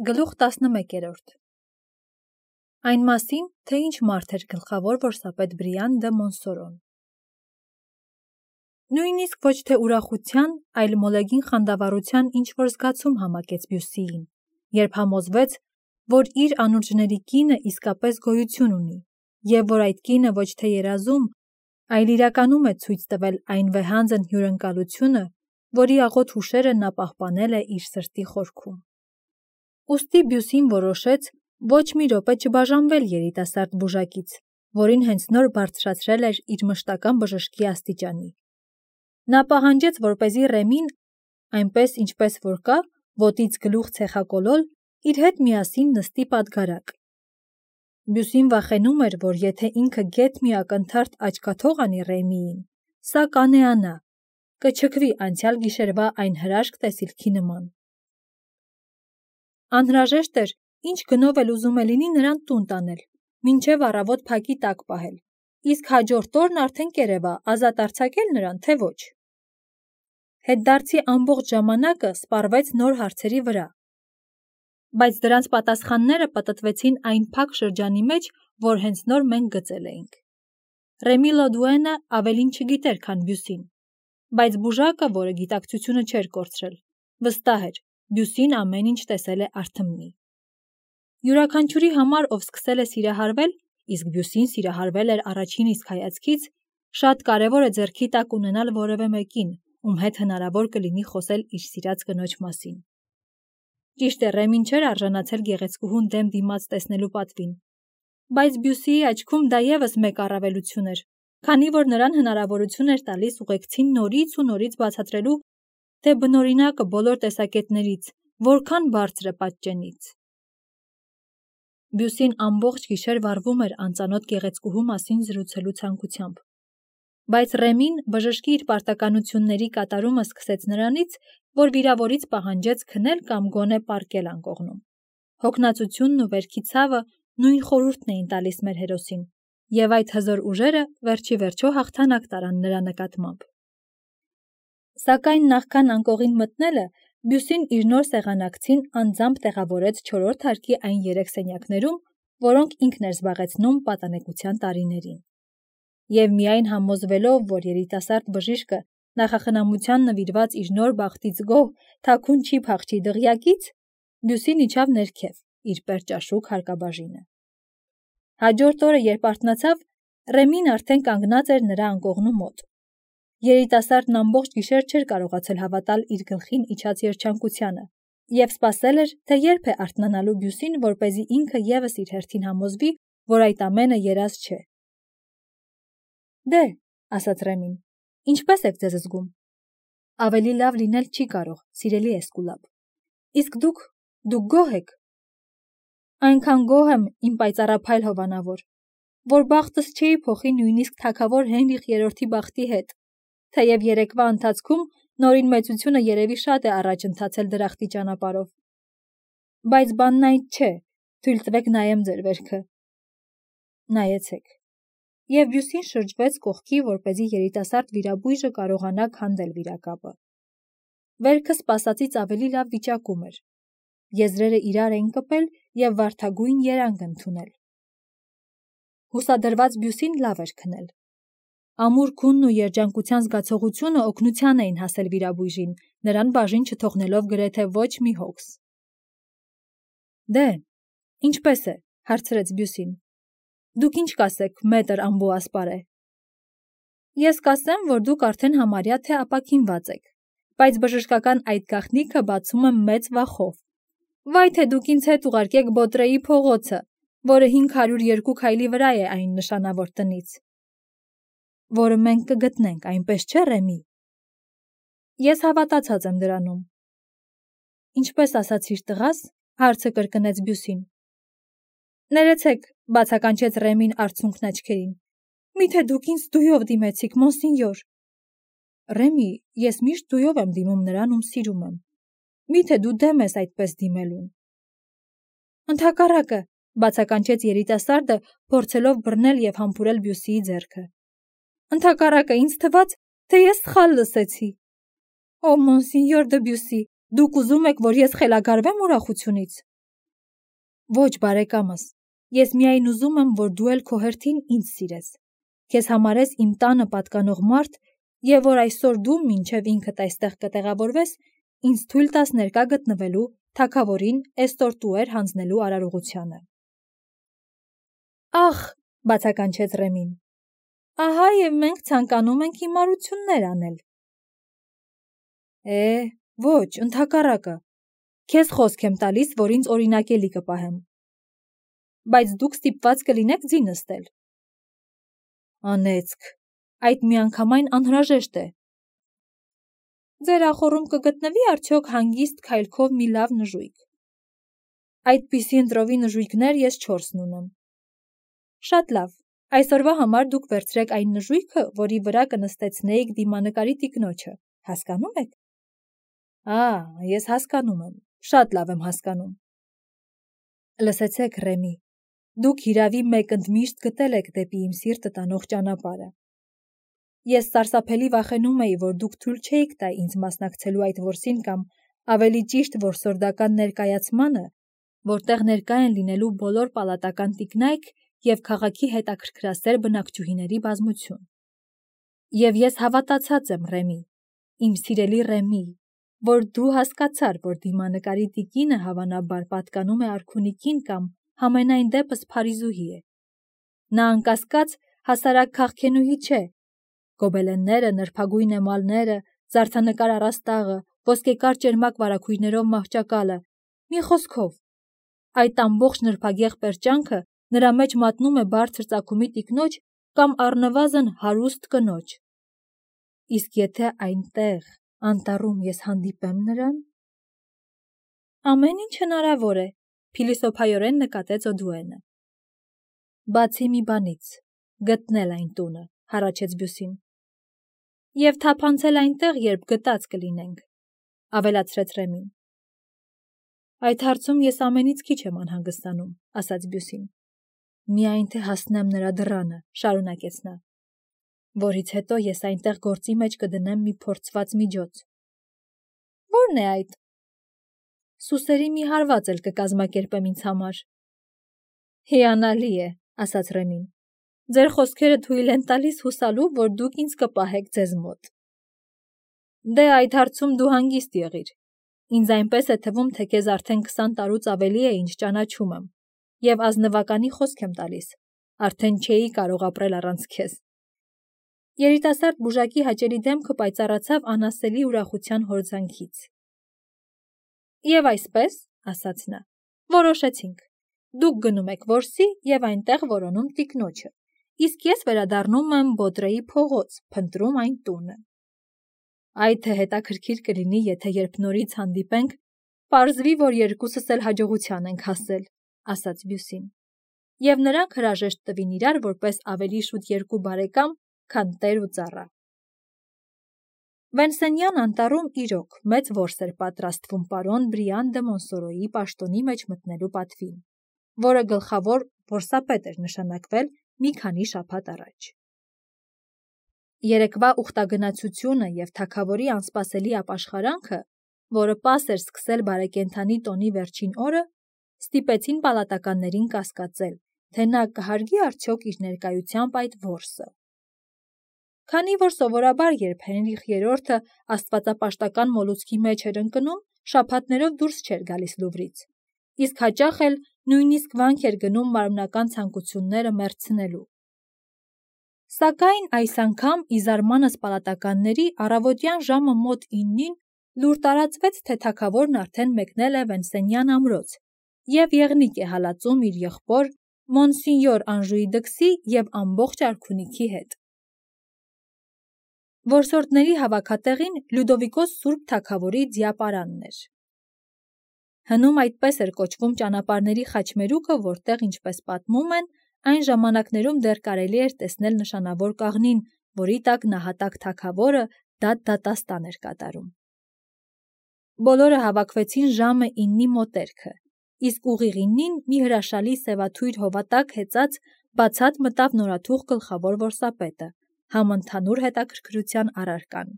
Գլուխ 11 Այն մասին, թե ինչ մարդ էր գլխավոր որսապետ Բրիան դը Մոնսորոն։ Նույնիսկ ոչ թե ուրախության, այլ մոլեգին խանդավառության ինչ-որ զգացում համակեց Բյուսիին, երբ համոզվեց, որ իր անուրջների կինը իսկապես գոյություն ունի, և որ այդ կինը ոչ թե երազում, այլ իրականում է ցույց տվել այն վեհանձն հյուրընկալությունը, որի աղոտ հուշերը նա պահպանել է իր սրտի խորքում։ Ուստի Բյուսին որոշեց ոչ մի րոպե չբաժանվել երիտասարդ բուժակից, որին հենց նոր բարձրացրել էր իր մշտական բժշկի աստիճանի։ Նա պահանջեց, որպեսզի Ռեմին, այնպես ինչպես որ կա, ոտից գլուխ ցեխակոլոլ, իր հետ միասին նստի պատգարակ։ Բյուսին վախենում էր, որ եթե ինքը գեթ մի ակնթարթ աչքաթող անի Ռեմիին, սա կանեանա, կչքվի անցյալ գիշերվա այն հրաշք տեսիլքի նման։ Անհրաժեշտ էր, ինչ գնով էլ ուզում է լինի նրան տուն տանել, մինչև առավոտ փակի տակ պահել, իսկ հաջորդ օրն արդեն կերևա ազատ արձակել նրան, թե ոչ։ Հետդարձի ամբողջ ժամանակը սպառվեց նոր հարցերի վրա, բայց դրանց պատասխանները պտտվեցին այն փակ շրջանի մեջ, որ հենց նոր մենք գծել էինք։ Ռեմի Լոդուենը ավելին չգիտեր, քան Բյուսին, բայց բուժակը, որը գիտակցությունը չէր կորցրել, վստահ էր, Բյուսին ամեն ինչ տեսել է արթմնի։ Յուրաքանչյուրի համար, ով սկսել է սիրահարվել, իսկ Բյուսին սիրահարվել էր առաջին իսկ հայացքից, շատ կարևոր է ձեռքի տակ ունենալ որևէ մեկին, ում հետ հնարավոր կլինի խոսել իր սիրած կնոջ մասին։ Ճիշտ է, Ռեմին չէր արժանացել գեղեցկուհուն դեմ դիմաց տեսնելու պատվին, բայց Բյուսիի աչքում դա ևս մեկ առավելություն էր, քանի որ նրան հնարավորություն էր տալիս ուղեկցին նորից ու նորից բացատրելու, թե բնօրինակը բոլոր տեսակետներից որքան բարձր է պատճենից։ Բյուսին ամբողջ գիշեր վառվում էր անծանոթ գեղեցկուհու մասին զրուցելու ցանկությամբ, բայց Ռեմին բժշկի իր պարտականությունների կատարումը սկսեց նրանից, որ վիրավորից պահանջեց քնել կամ գոնե պառկել անկողնում։ Հոգնածությունն ու վերքի ցավը նույն խորհուրդն էին տալիս մեր հերոսին, և այդ հզոր ուժերը վերջի վերջո հաղթանակ տարան նրա նկատմամբ։ Սակայն նախքան անկողին մտնելը, Բյուսին իր նոր սեղանակցին անձամբ տեղավորեց 4-րդ հարկի այն 3 սենյակներում, որոնք ինքն էր զբաղեցնում պատանեկության տարիներին։ Եվ միայն համոզվելով, որ երիտասարդ բժիշկը նախախնամության նվիրված իր նոր բախտից գոհ թաքուն չի փախչի դղյակից, Բյուսին իջավ ներքև, իր պերճաշուք հարկաբաժինը։ Հաջորդ օրը, երբ արթնացավ, Ռեմին արդեն կանգնած էր նրա անկողնու մոտ։ Երիտասարդն ամբողջ գիշեր չէր կարողացել հավատալ իր գլխին իջած երջանկությանը և սպասել էր, թե երբ է արթնանալու Բյուսին, որպեսզի ինքը ևս իր հերթին համոզվի, որ այդ ամենը երազ չէ։ Դե, ասաց Ռեմին, ինչպես եք ձեզ զգում։ Ավելի լավ լինել չի կարող, սիրելի Էսկուլապ։ Իսկ դուք գոհ եք։ Այնքան գոհ եմ, իմ պայծառափայլ հովանավոր, որ բախտս չէի փոխի նույնիսկ թագավոր Հենրիխ III-ի բախտի հետ, թեև երեկվա ընթացքում նորին մեծությունը երևի շատ է առաջ ընթացել դրախտի ճանապարհով։ Բայց բանն այդ չէ, թույլ տվեք նայեմ ձեր վերքը։ Նայեցեք։ Եվ Բյուսին շրջվեց կողքի, որպեսզի երիտասարդ վիրաբույժը կարողանա քանդել վիրակապը։ Վերքը սպասածից ավելի լավ վիճակում էր։ Եզրերը իրար էին կպել և վարդագույն երանգ ընդունել։ Հուսադրված Բյուսին լավ էր քնել։ Ամուր քունն ու երջանկության զգացողությունը օգնության էին հասել վիրաբույժին, նրան բաժին չթողնելով գրեթե ոչ մի հոգս։ Դե, ինչպես է, հարցրեց Բյուսին։ Դուք ինչ կասեք, մետր Ամբուասպարե։ Ես կասեմ, որ դուք արդեն համարյա թե ապաքինված եք, բայց բժշկական այդ գաղտնիքը բացում եմ մեծ վախով։ Վայ թե դուք ինձ հետ ուղարկեք Բոտրեի փողոցը, որը 502 քայլի վրա է այն նշանավոր տնից։ Որը մենք կգտնենք, այնպես չէ, Ռեմի։ Ես հավատացած եմ դրանում։ Ինչպես ասացիր տղաս, հարցը կրկնեց Բյուսին։ Ներեցեք, բացականչեց Ռեմին արցունքն աչքերին։ Միթե դուք ինձ դույով դիմեցիք, մոնսինյոր։ Ռեմի, ես միշտ դույով եմ դիմում նրան, ում սիրում եմ։ Միթե դու դեմ ես այդպես դիմելուն։ Ընդհակառակը, բացականչեց երիտասարդը, փորձելով բռնել և համբուրել Բյուսիի ձեռքը։ Ընդհակառակը, ինձ թվաց, թե ես սխալ լսեցի։ Օ, մոնսինյոր դը Բյուսի, դուք ուզում եք, որ ես խելագարվեմ ուրախությունից։ Ոչ, բարեկամս, ես միայն ուզում եմ, որ դու էլ քո հերթին ինձ սիրես, քեզ համարես իմ տանը պատկանող մարդ և որ այսօր դու մինչև ինքդ այստեղ կտեղավորվես, ինձ թույլ տաս ներկա գտնվելու թագավորին էստոր տուեր հանձնելու արարողությանը։ Ախ, բացականչեց Ռեմին, ահա և մենք ցանկանում ենք հիմարություններ անել։ Ոչ, ընդհակառակը, քեզ խոսք եմ տալիս, որ ինձ օրինակելի կպահեմ։ Բայց դուք ստիպված կլինեք ձին նստել։ Անեծք, այդ միանգամայն անհրաժեշտ է։ Ձեր ախոռում կգտնվի արդյոք հանգիստ քայլքով մի լավ նժույգ։ Այդպիսի ընտրովի նժույգներ ես 4-ն ունեմ։ Շատ լավ, այսօրվա համար դուք վերցրեք այն նժույգը, որի վրա կնստեցնեիք դիմանկարի տիկնոջը, հասկանում եք։ Ես հասկանում եմ, շատ լավ եմ հասկանում։ Լսեցեք, Ռեմի, դուք հիրավի մեկ ընդմիշտ գտել եք դեպի իմ սիրտը տանող ճանապարհը։ Ես սարսափելի վախենում էի, որ դուք թույլ չէիք տա ինձ մասնակցելու այդ որսին կամ ավելի ճիշտ որսորդական ներկայացմանը, որտեղ ներկա են լինելու բոլոր պալատական տիկնայք և քաղաքի հետաքրքրասեր բնակչուհիների բազմություն։ Եվ ես հավատացած եմ, Ռեմի, իմ սիրելի Ռեմի, որ դու հասկացար, որ դիմանկարի տիկինը հավանաբար պատկանում է արքունիքին կամ համենայն դեպս Փարիզուհի է։ Նա անկասկած հասարակ քաղքենուհի չէ։ Գոբելենները, նրբագույն էմալները, զարդանկար առաստաղը, ոսկեկար ճերմակ վարագույրներով մահճակալը, մի խոսքով, այդ ամբողջ նրբագեղ պերճանքը նրա մեջ մատնում է բարձր ծագումի տիկնոջ կամ առնվազն հարուստ կնոջ։ Իսկ եթե այնտեղ, անտառում ես հանդիպեմ նրան… Ամեն ինչ հնարավոր է, փիլիսոփայորեն նկատեց Օդուենը։ Բացի մի բանից, գտնել այն տունը, հառաչեց Բյուսին։ Եվ թափանցել այնտեղ, երբ գտած կլինենք, ավելացրեց Ռեմին։ Այդ հարցում ես ամենից քիչ եմ անհանգստանում, ասաց Բյուսին։ Միայն թե հասնեմ նրա դռանը, շարունակեց նա, որից հետո ես այնտեղ գործի մեջ կդնեմ մի փորձված միջոց։ Ո՞րն է այդ։ Սուսերի մի հարված էլ կկազմակերպեմ ինձ համար։ Հիանալի է, ասաց Ռեմին։ Ձեր խոսքերը թույլ են տալիս հուսալու, որ դուք ինձ կպահեք ձեզ մոտ։ Դե այդ հարցում դու հանգիստ եղիր։ Ինձ այնպես է թվում, թե քեզ արդեն 20 տարուց ավելի է ինչ ճանաչում եմ, և ազնվականի խոսք եմ տալիս, արդեն չէի կարող ապրել առանց քեզ։ Երիտասարդ բուժակի հաճելի դեմքը պայծառացավ անասելի ուրախության հորձանքից։ Եվ այսպես, ասաց նա, որոշեցինք, դուք գնում եք որսի և այնտեղ որոնում տիկնոջը, իսկ ես վերադառնում եմ Բոդրեի փողոց, փնտրում այն տունը։ Այ թե հետաքրքիր կլինի, եթե երբ նորից հանդիպենք, պարզվի, որ երկուսս էլ հաջողության ենք հասել, ասաց Բյուսին, և նրանք հրաժեշտ տվին իրար որպես ավելի շուտ երկու բարեկամ, քան տեր ու ծառա։ Վենսենյան անտառում իրոք մեծ որս էր պատրաստվում պարոն Բրիան դե Մոնսորոյի պաշտոնի մեջ մտնելու պատվին, որը գլխավոր որսապետ էր նշանակվել մի քանի շաբաթ առաջ։ Երեկվա ուխտագնացությունը և թագավորի անսպասելի ապաշխարանքը, որը պաս էր սկսել բարեկենդանի տոնի վերջին օրը, ստիպեցին պալատականներին կասկածել, թե նա կհարգի արդյոք իր ներկայությամբ այդ որսը։ Քանի որ սովորաբար, երբ Հենրիխ III-ը աստվածապաշտական մոլուցքի մեջ էր ընկնում, շաբաթներով դուրս չէր գալիս Լուվրից, իսկ հաճախ էլ նույնիսկ վանք էր գնում մարմնական ցանկությունները մերձցնելու։ Սակայն այս անգամ, ի զարմանս պալատականների, առավոտյան ժամը մոտ 9-ին լուր տարածվեց, թե թագավորն արդեն մեկնել է Վենսենյան ամրոց և եղնիկ է հալածում իր եղբոր Մոնսինյոր Անժուի դքսի և ամբողջ արքունիքի հետ։ Որսորդների հավաքատեղին Լյուդովիկոս Սուրբ թագավորի ձիապարանն էր։ Հնում այդպես էր կոչվում ճանապարհների խաչմերուկը, որտեղ, ինչպես պատմում են, այն ժամանակներում դեռ կարելի էր տեսնել նշանավոր կաղնին, որի տակ նահատակ թագավորը դատ-դատաստան էր կատարում։ Բոլորը հավաքվեցին ժամը 9-ի մոտերքը, իսկ ուղիղ 9-ին մի հրաշալի սևաթույր հովատակ հեծած բացատ մտավ նորաթուխ գլխավոր որսապետը, համընդհանուր հետաքրքրության առարկան,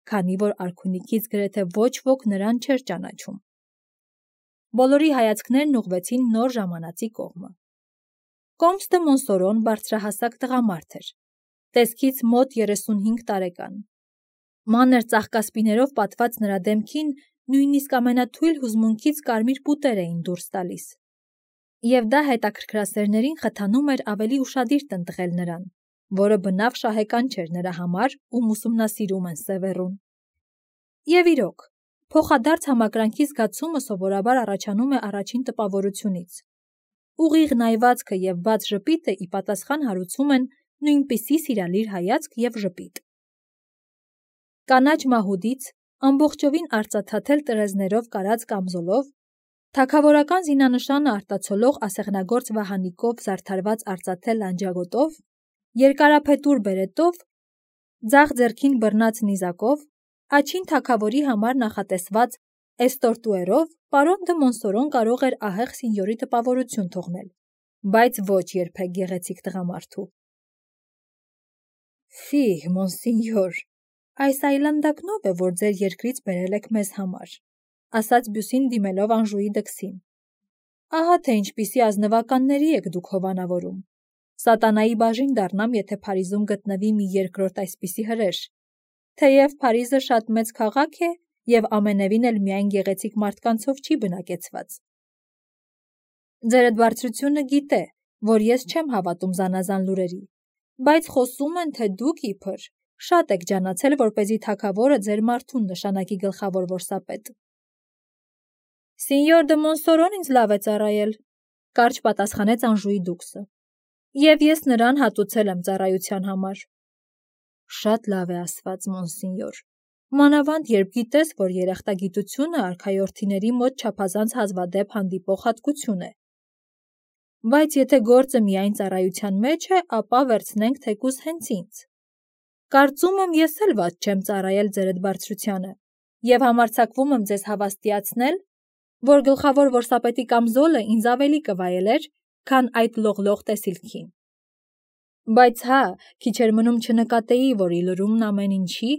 քանի որ արքունիքից գրեթե ոչ ոք նրան չէր ճանաչում։ բոլորի հայացքներն ուղղվեցին նոր ժամանածի կողմը։ Կոմս դը Մոնսորոն բարձրահասակ տղամարդ էր, տեսքից մոտ 35 տարեկան։ Մանր ծաղկասպիներով պատված նրա դեմքին նույնիսկ ամենաթույլ հուզմունքից կարմիր պուտեր էին դուրս տալիս։ Եվ դա հետաքրքրասերներին խթանում էր ավելի ուշադիր տնտղել նրան, որը բնավ շահեկան չէր նրա համար, ում ուսումնասիրում են Սևեռուն։ Եվ իրոք, փոխադարձ համակրանքի զգացումը սովորաբար առաջանում է առաջին տպավորությունից։ Ուղիղ նայվածքը և բաց ժպիտը ի պատասխան հարուցում են նույնպիսի սիրալիր հայացք և ժպիտ։ Կանաչ մահուդից, ամբողջովին արծաթաթել տրեզներով կարած կամզոլով, թագավորական զինանշանը արտացոլող ասեղնագործ վահանիկով զարդարված արծաթել լանջագոտով, երկարափետուր բերետով, ձախ ձեռքին բռնած նիզակով, աջին թագավորի համար նախատեսված էստորտուերով, պարոն դը Մոնսորոն կարող էր ահեղ սինյորի տպավորություն թողնել, բայց ոչ երբեք գեղեցիկ տղամարդու։ Ֆի, մոնսինյոր, այս այլանդակնով է, որ ձեր երկրից բերել եք մեզ համար, ասաց Բյուսին դիմելով Անժուի դքսին։ Ահա թե ինչպիսի ազնվականների եք դուք հովանավորում։ Սատանայի բաժին դառնամ, եթե Փարիզում գտնվի մի երկրորդ այսպիսի հրեշ, թեև Փարիզը շատ մեծ քաղաք է և ամենևին էլ միայն գեղեցիկ մարդկանցով չի բնակեցված։ Ձերդ բարձրությունը գիտե, որ ես չեմ հավատում զանազան լուրերի, բայց խոսում են, թե դուք իբր շատ եք ջանացել, որպեսզի թագավորը ձեր մարդուն նշանակի գլխավոր որսապետ։ Սինյոր դը Մոնսորոն ինձ լավ է ծառայել, կարճ պատասխանեց Անժուի դուքսը, և ես նրան հատուցել եմ ծառայության համար։ Շատ լավ է ասված, մոնսինյոր, մանավանդ երբ գիտես, որ երախտագիտությունը արքայորդիների մոտ չափազանց հազվադեպ հանդիպող հատկություն է։ Բայց եթե գործը միայն ծառայության մեջ է, ապա վերցնենք թեկուզ հենց ինձ։ Կարծում եմ ես էլ վատ չեմ ծառայել ձերդ բարձրությանը և համարձակվում եմ ձեզ հավաստիացնել, որ գլխավոր որսապետի կամզոլը ինձ ավելի կվայելեր, քան այդ լողլող տեսիլքին։ Բայց հա, քիչ էր մնում չնկատեի, որ ի լրումն ամեն ինչի,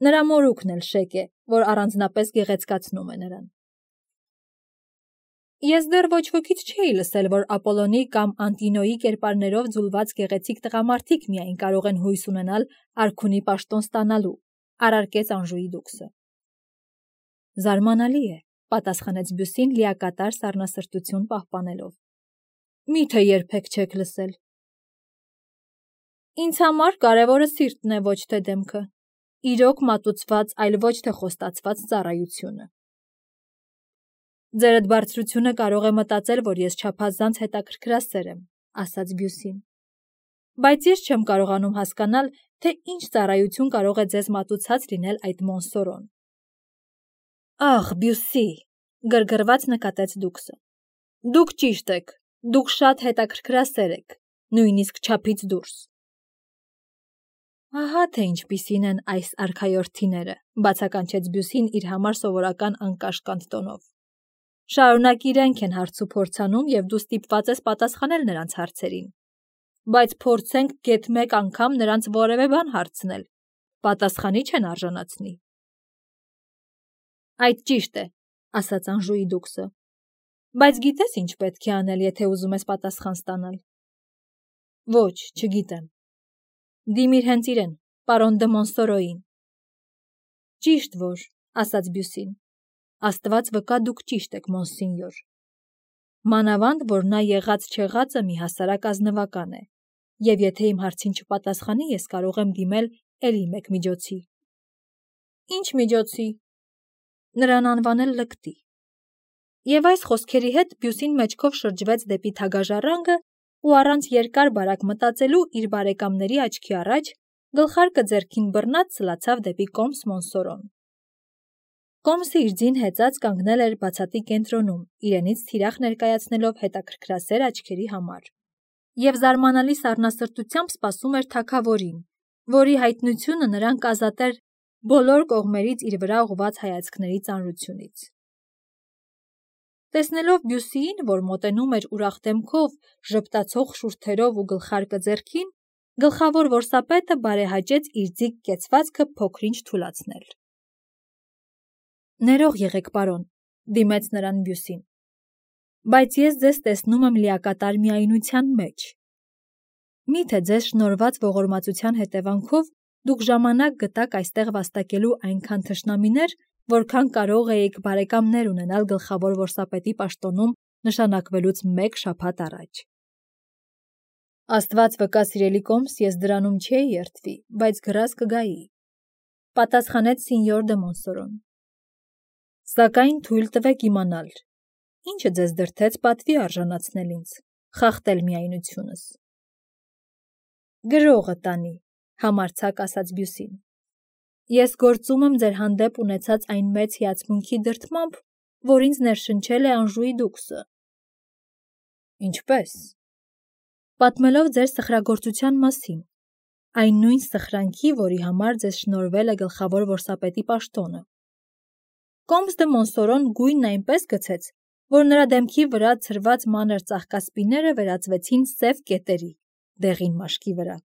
նրա մորուքն էլ շեկ է, որ առանձնապես գեղեցկացնում է նրան։ Ես դեռ ոչ ոքից չէի լսել, որ Ապոլոնի կամ Անտինոյի կերպարներով ձուլված գեղեցիկ տղամարդիկ միայն կարող են հույս ունենալ արքունի պաշտոն ստանալու, առարկեց Անժուի դուքսը։ Զարմանալի է, պատասխանեց Բյուսին լիակատար սառնասրտություն պահպանելով։ Միթե երբեք չեք լսել։ Ինձ համար կարևորը սիրտն է, ոչ թե դեմքը, իրոք մատուցված, այլ ոչ թե խոստացված ծառայությունը։ Ձերդ բարձրությունը կարող է մտածել, որ ես չափազանց հետաքրքրասեր եմ, ասաց Բյուսին։ Բայց ես չեմ կարողանում հասկանալ, թե ինչ ծառայություն կարող է ձեզ մատուցած լինել այդ Մոնսորոն։ Ախ, Բյուսի, գրգռված նկատեց դուքսը։ Դուք ճիշտ եք, դուք շատ հետաքրքրասեր եք, նույնիսկ չափից դուրս։ Ահա թե ինչպիսին են այս արքայորդիները, բացականչեց Բյուսին իր համար սովորական անկաշկանդ տոնով։ Շարունակ իրենք են հարց ու փորձանում և դու ստիպված ես պատասխանել նրանց հարցերին։ Բայց փորձենք գեթ մեկ անգամ նրանց որևէ բան հարցնել, պատասխանի չեն արժանացնի։ Այդ ճիշտ է, ասաց Անժուի դուքսը։ Բայց գիտես ինչ պետք է անել, եթե ուզում ես պատասխան ստանալ։ Ոչ, չգիտեմ։ Դիմիր հենց իրեն, պարոն դը Մոնսորոյին։ Ճիշտ որ, ասաց Բյուսին։ Աստված վկա դուք ճիշտ եք, մոնսինյոր։ Մանավանդ, որ նա եղած-չեղածը մի հասարակ ազնվական է, և եթե իմ հարցին չպատասխանի, ես կարող եմ դիմել էլի մեկ միջոցի։ Ինչ միջոցի։ Նրան անվանել լկտի։ Եվ այս խոսքերի հետ Բյուսին մեջքով շրջվեց դեպի թագաժառանգը ու առանց երկար բարակ մտածելու իր բարեկամների աչքի առաջ գլխարկը ձեռքին բռնած սլացավ դեպի Կոմս Մոնսորոն։ Կոմսը իր ձին հեծած կանգնել էր բացատի կենտրոնում, իրենից թիրախ ներկայացնելով հետաքրքրասեր աչքերի համար, և զարմանալի սառնասրտությամբ սպասում էր թագավորին, որի հայտնությունը նրան կազատեր բոլոր կողմերից իր վրա ուղղված հայացքների ծանրությունից։ Տեսնելով Բյուսիին, որ մոտենում էր ուրախ դեմքով, ժպտացող շուրթերով ու գլխարկը ձեռքին, գլխավոր որսապետը բարեհաճեց իր ձիգ կեցվածքը փոքր-ինչ թուլացնել։ Ներող եղեք, պարոն, դիմեց նրան Բյուսին։ Բայց ես ձեզ տեսնում եմ լիակատար միայնության մեջ։ Միթե ձեզ շնորհված ողորմածության հետևանքով դուք ժամանակ գտաք այստեղ վաստակելու այնքան թշնամիներ, որքան կարող էիք բարեկամներ ունենալ գլխավոր որսապետի պաշտոնում նշանակվելուց 1 շաբաթ առաջ։ Աստված վկա, սիրելի կոմս, ես դրանում չէի երդվի, բայց գրած կգայի, պատասխանեց սինյոր դե Մոնսորոն։ Սակայն թույլ տվեք իմանալ, ինչը ձեզ դրդեց պատվի արժանացնել ինձ, խախտել միայնությունս։ Գրողը տանի, համարձակ ասաց Բյուսին։ Ես գործում եմ ձեր հանդեպ ունեցած այն մեծ հիացմունքի դրդմամբ, որ ինձ ներշնչել է Անժուի դուքսը։ Ինչպե՞ս։ Պատմելով ձեր սխրագործության մասին, այն նույն սխրանքի, որի համար ձեզ շնորհվել է գլխավոր որսապետի պաշտոնը։ Կոմս դե Մոնսորոն գույնն այնպես գցեց, որ նրա դեմքի վրա ցրված մանր ծաղկասպիները վերածվեցին սև կետերի, դեղին մաշկի վրա։